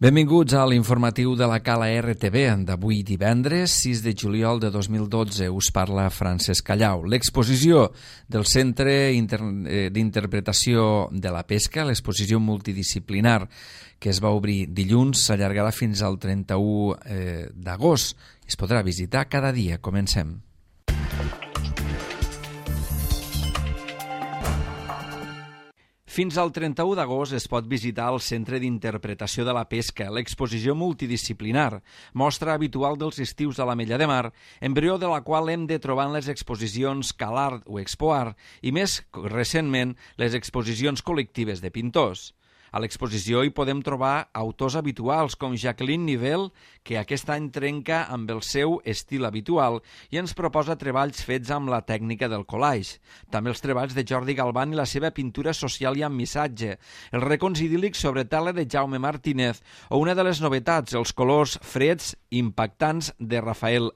Benvinguts a l'informatiu de la Cala RTV d'avui divendres 6 de juliol de 2012. Us parla Francesc Callau. L'exposició del Centre d'Interpretació de la Pesca, l'exposició multidisciplinar que es va obrir dilluns, s'allargarà fins al 31 d'agost. Es podrà visitar cada dia. Comencem. Fins al 31 d'agost es pot visitar el Centre d'Interpretació de la Pesca, l'exposició multidisciplinar, mostra habitual dels estius de l'Ametlla de Mar, embrió de la qual hem de trobar en les exposicions CalArt o ExpoArt i més recentment les exposicions col·lectives de pintors. A l'exposició hi podem trobar autors habituals com Jacqueline Nivel, que aquest any trenca amb el seu estil habitual i ens proposa treballs fets amb la tècnica del collage. També els treballs de Jordi Galván i la seva pintura social i amb missatge, els racons idíl·lics sobre tela de Jaume Martínez o una de les novetats, els colors freds impactants de Rafael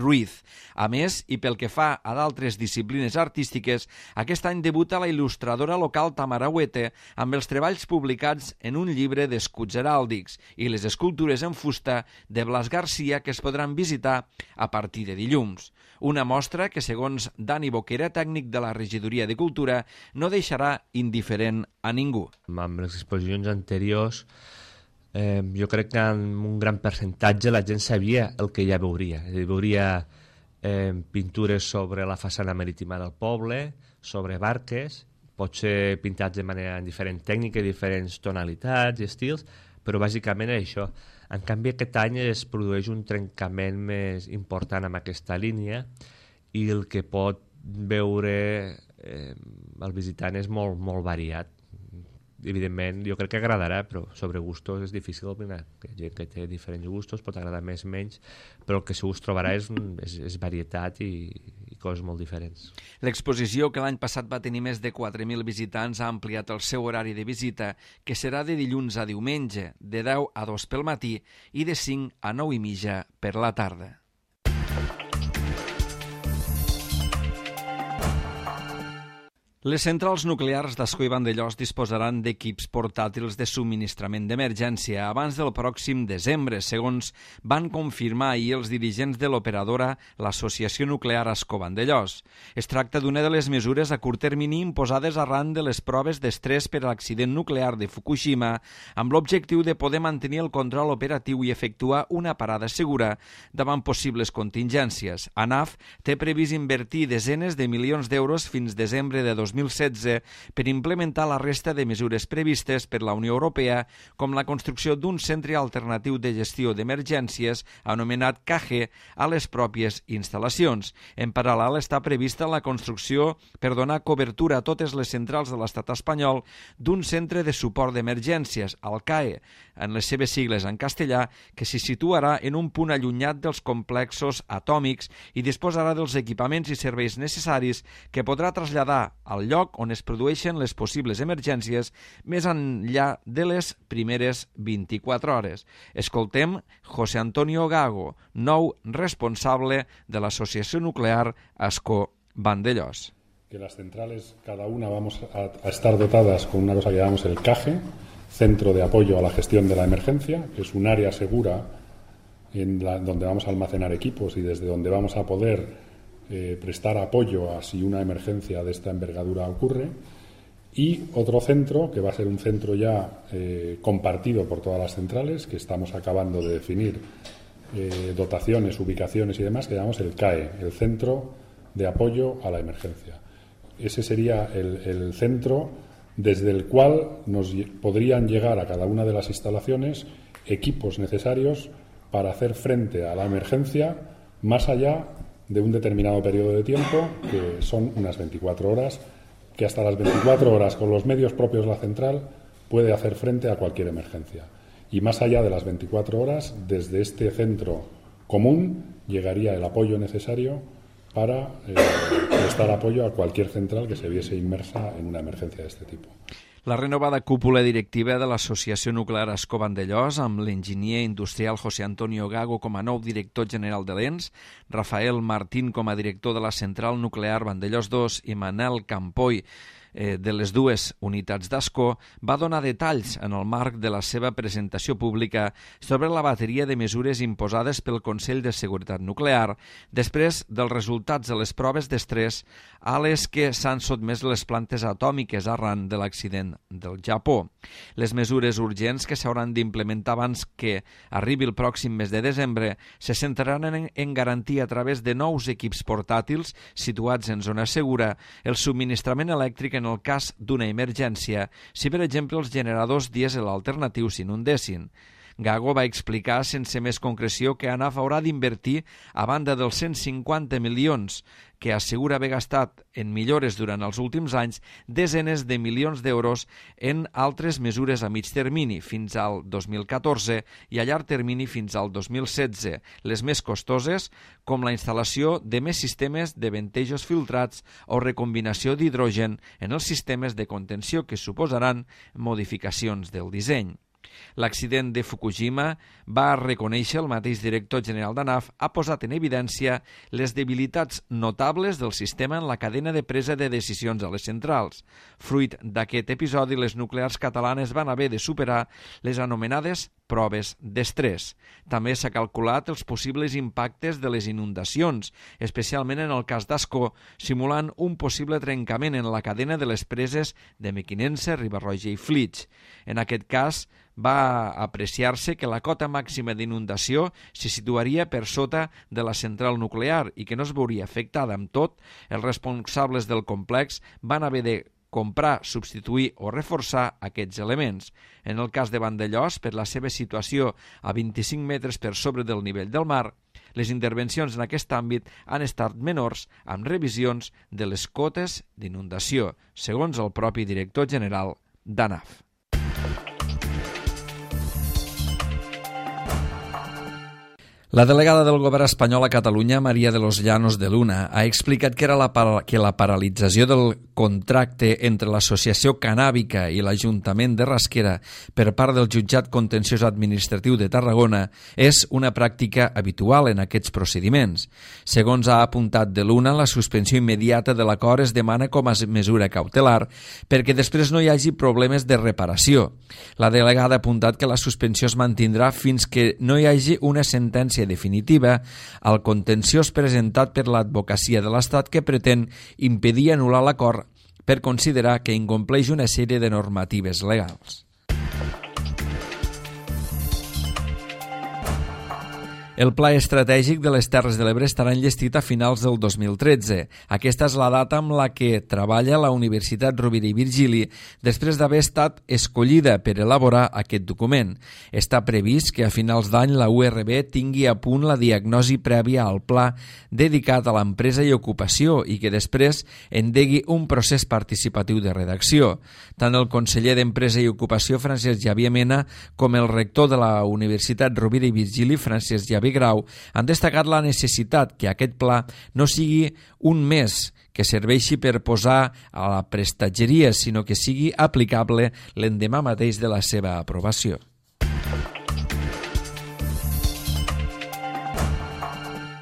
Ruiz. A més, i pel que fa a d'altres disciplines artístiques, aquest any debuta la il·lustradora local Tamara Huete amb els treballs publicats en un llibre d'escuts heràldics i les escultures en fusta de Blas Garcia que es podran visitar a partir de dilluns. Una mostra que, segons Dani Boquera, tècnic de la Regidoria de Cultura, no deixarà indiferent a ningú. Amb les exposicions anteriors jo crec que en un gran percentatge la gent sabia el que ja veuria. Veuria pintures sobre la façana marítima del poble, sobre barques, potser pintats de manera en diferent tècnica, diferents tonalitats i estils, però bàsicament això. En canvi, aquest any es produeix un trencament més important amb aquesta línia i el que pot veure el visitant és molt, molt variat. Evidentment, jo crec que agradarà, però sobre gustos és difícil opinar. Hi ha gent que té diferents gustos, pot agradar més o menys, però el que segur es trobarà és varietat i coses molt diferents. L'exposició, que l'any passat va tenir més de 4.000 visitants, ha ampliat el seu horari de visita, que serà de dilluns a diumenge, de 10 a 2 pel matí i de 5 a 9 i mitja per la tarda. Les centrals nuclears d'Ascó i Vandellòs disposaran d'equips portàtils de subministrament d'emergència abans del pròxim desembre, segons van confirmar ahir els dirigents de l'operadora, l'Associació Nuclear Ascó-Vandellòs. Es tracta d'una de les mesures a curt termini imposades arran de les proves d'estrès per a l'accident nuclear de Fukushima, amb l'objectiu de poder mantenir el control operatiu i efectuar una parada segura davant possibles contingències. ANAF té previst invertir desenes de milions d'euros fins desembre de 2016 per implementar la resta de mesures previstes per la Unió Europea, com la construcció d'un centre alternatiu de gestió d'emergències anomenat CAGE a les pròpies instal·lacions. En paral·lel està prevista la construcció, per donar cobertura a totes les centrals de l'estat espanyol, d'un centre de suport d'emergències, el CAE, en les seves sigles en castellà, que s'hi situarà en un punt allunyat dels complexos atòmics i disposarà dels equipaments i serveis necessaris que podrà traslladar al lloc on es produeixen les possibles emergències més enllà de les primeres 24 hores. Escoltem José Antonio Gago, nou responsable de l'Asociació Nuclear Ascó-Vandellòs. Que las centrales, cada una vamos a estar dotadas con una cosa que llamamos el CAGE, Centro de Apoyo a la Gestión de la Emergencia, que es un área segura donde vamos a almacenar equipos y desde donde vamos a poder prestar apoyo a si una emergencia de esta envergadura ocurre, y otro centro que va a ser un centro ya compartido por todas las centrales, que estamos acabando de definir dotaciones, ubicaciones y demás, que llamamos el CAE, el Centro de Apoyo a la Emergencia. Ese sería el centro desde el cual nos podrían llegar a cada una de las instalaciones equipos necesarios para hacer frente a la emergencia más allá de un determinado periodo de tiempo, que son unas 24 horas, que hasta las 24 horas con los medios propios de la central puede hacer frente a cualquier emergencia. Y más allá de las 24 horas, desde este centro común llegaría el apoyo necesario para prestar apoyo a cualquier central que se viese inmersa en una emergencia de este tipo. La renovada cúpula directiva de l'Associació Nuclear Ascó-Vandellòs, amb l'enginyer industrial José Antonio Gago com a nou director general de l'ENS, Rafael Martín com a director de la Central Nuclear Vandellòs 2 i Manel Campoy de les dues unitats d'Ascó, va donar detalls en el marc de la seva presentació pública sobre la bateria de mesures imposades pel Consell de Seguretat Nuclear després dels resultats de les proves d'estrès a les que s'han sotmès les plantes atòmiques arran de l'accident del Japó. Les mesures urgents que s'hauran d'implementar abans que arribi el pròxim mes de desembre se centraran en garantir a través de nous equips portàtils situats en zona segura el subministrament elèctric en el cas d'una emergència, si per exemple els generadors dièsel alternatius s'inundessin. Gago va explicar sense més concreció que ANAF haurà d'invertir, a banda dels 150 milions que assegura haver gastat en millores durant els últims anys, desenes de milions d'euros en altres mesures a mig termini fins al 2014 i a llarg termini fins al 2016, les més costoses, com la instal·lació de més sistemes de ventejos filtrats o recombinació d'hidrogen en els sistemes de contenció que suposaran modificacions del disseny. L'accident de Fukushima, va reconèixer el mateix director general d'ANAF, ha posat en evidència les debilitats notables del sistema en la cadena de presa de decisions a les centrals. Fruit d'aquest episodi, les nuclears catalanes van haver de superar les anomenades proves d'estrès. També s'ha calculat els possibles impactes de les inundacions, especialment en el cas d'Ascó, simulant un possible trencament en la cadena de les preses de Mequinensa, Riba-roja i Flix. En aquest cas, va apreciar-se que la cota màxima d'inundació se situaria per sota de la central nuclear i que no es veuria afectada. Amb tot, els responsables del complex van haver de comprar, substituir o reforçar aquests elements. En el cas de Vandellòs, per la seva situació a 25 metres per sobre del nivell del mar, les intervencions en aquest àmbit han estat menors amb revisions de les cotes d'inundació, segons el propi director general d'ANAF. La delegada del govern espanyol a Catalunya, María de los Llanos de Luna, ha explicat que la paralització del contracte entre l'Associació Cannàbica i l'Ajuntament de Rasquera per part del Jutjat Contenciós Administratiu de Tarragona és una pràctica habitual en aquests procediments. Segons ha apuntat de Luna, la suspensió immediata de l'acord es demana com a mesura cautelar perquè després no hi hagi problemes de reparació. La delegada ha apuntat que la suspensió es mantindrà fins que no hi hagi una sentència definitiva al contenciós presentat per l'advocacia de l'Estat que pretén impedir anul·lar l'acord per considerar que incompleix una sèrie de normatives legals. El Pla Estratègic de les Terres de l'Ebre estarà enllestit a finals del 2013. Aquesta és la data amb la que treballa la Universitat Rovira i Virgili després d'haver estat escollida per elaborar aquest document. Està previst que a finals d'any la URB tingui a punt la diagnosi prèvia al pla dedicat a l'empresa i ocupació i que després endegui un procés participatiu de redacció. Tant el conseller d'Empresa i Ocupació, Francesc Xavier Mena, com el rector de la Universitat Rovira i Virgili, Francesc Xavier Grau, han destacat la necessitat que aquest pla no sigui un mes que serveixi per posar a la prestatgeria, sinó que sigui aplicable l'endemà mateix de la seva aprovació.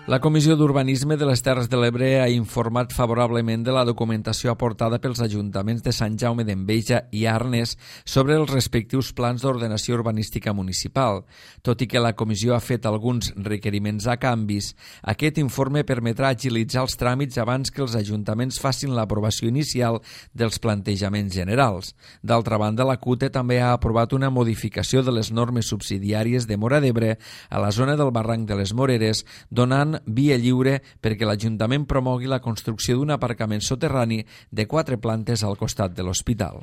La Comissió d'Urbanisme de les Terres de l'Ebre ha informat favorablement de la documentació aportada pels ajuntaments de Sant Jaume d'Enveja i Arnes sobre els respectius plans d'ordenació urbanística municipal. Tot i que la comissió ha fet alguns requeriments a canvis, aquest informe permetrà agilitzar els tràmits abans que els ajuntaments facin l'aprovació inicial dels plantejaments generals. D'altra banda, la CUTE també ha aprovat una modificació de les normes subsidiàries de Móra d'Ebre a la zona del barranc de les Moreres, donant via lliure perquè l'Ajuntament promogui la construcció d'un aparcament soterrani de 4 plantes al costat de l'hospital.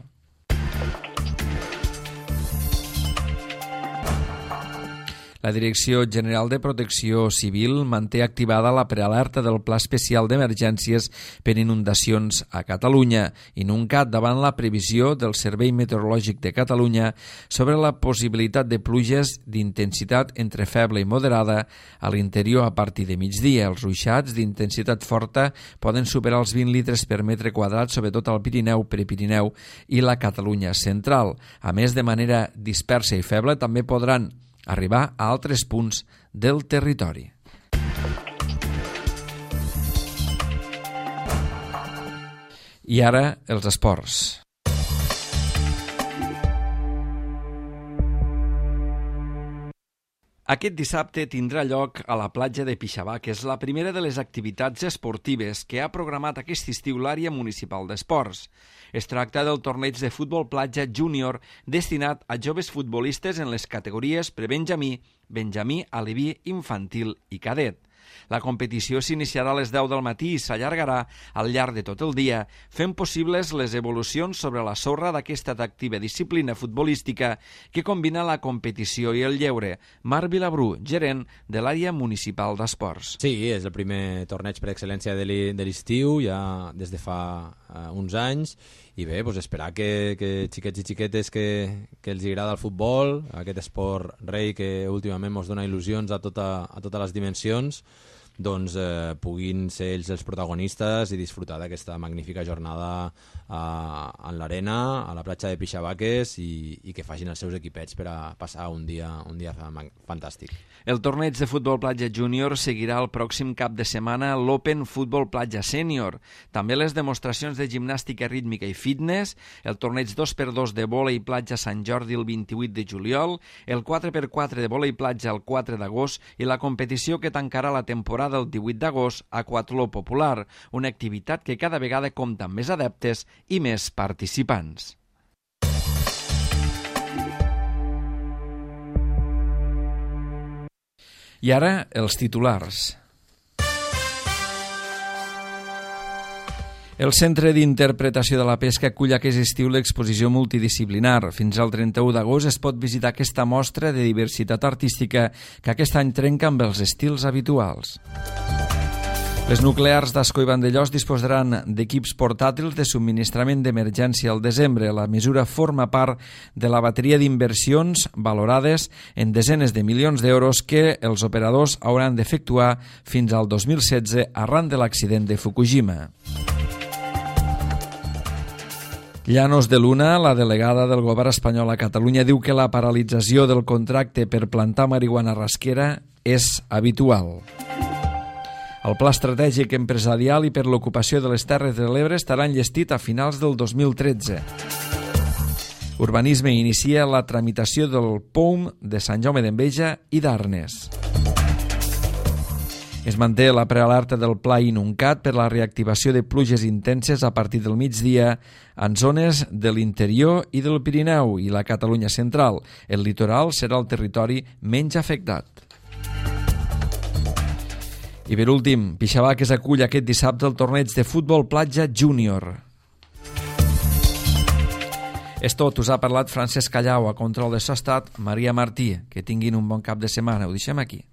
La Direcció General de Protecció Civil manté activada la prealerta del Pla Especial d'Emergències per inundacions a Catalunya, INUNCAT, davant la previsió del Servei Meteorològic de Catalunya sobre la possibilitat de pluges d'intensitat entre feble i moderada a l'interior a partir de migdia. Els ruixats d'intensitat forta poden superar els 20 litres per metre quadrat, sobretot al Pirineu, Prepirineu i la Catalunya central. A més, de manera dispersa i feble, també podran arribar a altres punts del territori. I ara, els esports. Aquest dissabte tindrà lloc a la platja de Pixavaques la primera de les activitats esportives que ha programat aquest estiu l'àrea municipal d'esports. Es tracta del torneig de futbol platja júnior destinat a joves futbolistes en les categories prebenjamí, benjamí, aleví, infantil i cadet. La competició s'iniciarà a les 10 del matí i s'allargarà al llarg de tot el dia, fent possibles les evolucions sobre la sorra d'aquesta atractiva disciplina futbolística que combina la competició i el lleure. Marc Vilabrú, gerent de l'àrea municipal d'esports. Sí, és el primer torneig per excel·lència de l'estiu, ja des de fa uns anys, i bé, doncs esperar que xiquets i xiquetes que els agrada el futbol, aquest esport rei que últimament ens dona il·lusions a totes les dimensions, doncs puguin ser ells els protagonistes i disfrutar d'aquesta magnífica jornada en l'arena, a la platja de Pixavaques, i que facin els seus equipets per a passar un dia fantàstic. El torneig de futbol platja júnior seguirà el pròxim cap de setmana l'Open Futbol Platja Sènior. També les demostracions de gimnàstica rítmica i fitness, el torneig 2x2 de vòlei platja Sant Jordi el 28 de juliol, el 4x4 de vòlei platja el 4 d'agost i la competició que tancarà la temporada el 18 d'agost a Aquatló Popular, una activitat que cada vegada compta amb més adeptes i més participants. I ara, els titulars. El Centre d'Interpretació de la Pesca acull aquest estiu l'exposició multidisciplinar. Fins al 31 d'agost es pot visitar aquesta mostra de diversitat artística que aquest any trenca amb els estils habituals. Les nuclears d'Ascó i Vandellòs disposaran d'equips portàtils de subministrament d'emergència al desembre. La mesura forma part de la bateria d'inversions valorades en desenes de milions d'euros que els operadors hauran d'efectuar fins al 2016 arran de l'accident de Fukushima. Llanos de Luna, la delegada del govern espanyol a Catalunya, diu que la paralització del contracte per plantar marihuana rasquera és habitual. El Pla Estratègic Empresarial i per l'ocupació de les Terres de l'Ebre estarà enllestit a finals del 2013. Urbanisme inicia la tramitació del POUM de Sant Jaume d'Enveja i d'Arnes. Es manté la prealerta del Pla Inuncat per la reactivació de pluges intenses a partir del migdia en zones de l'interior i del Pirineu i la Catalunya central. El litoral serà el territori menys afectat. I per últim, Pixavaques acull aquest dissabte el torneig de futbol platja júnior. És tot, us ha parlat Francesc Callau, a control de so ha estat Maria Martí. Que tinguin un bon cap de setmana, ho deixem aquí.